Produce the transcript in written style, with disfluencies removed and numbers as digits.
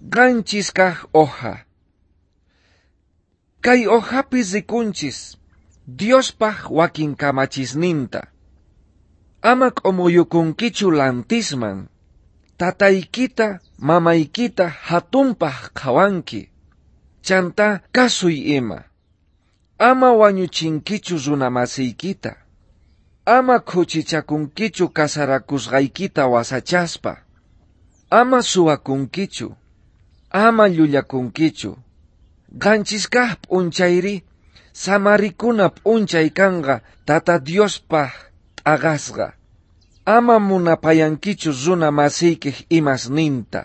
7 kaj hoja. Kay hojapi rikunchis Diospaj wakin kamachisninta. Ama k'umuyukunkichu lantisman. Tataykita, mamaykita hatunpaj qhawanki. Chantá kasuy ima. Ama wañuchinkichu runamasiykita. Ama khuchichakunkichu kasarakusqaykita wasachaspa. Ama suwakunkichu. Ama llullakunkichu. 7 kaj p'unchayri samarikuna p'unchay kanqa Tata Diospaj t'aqasqa. Ama munapayankichu runa masiykej imasninta.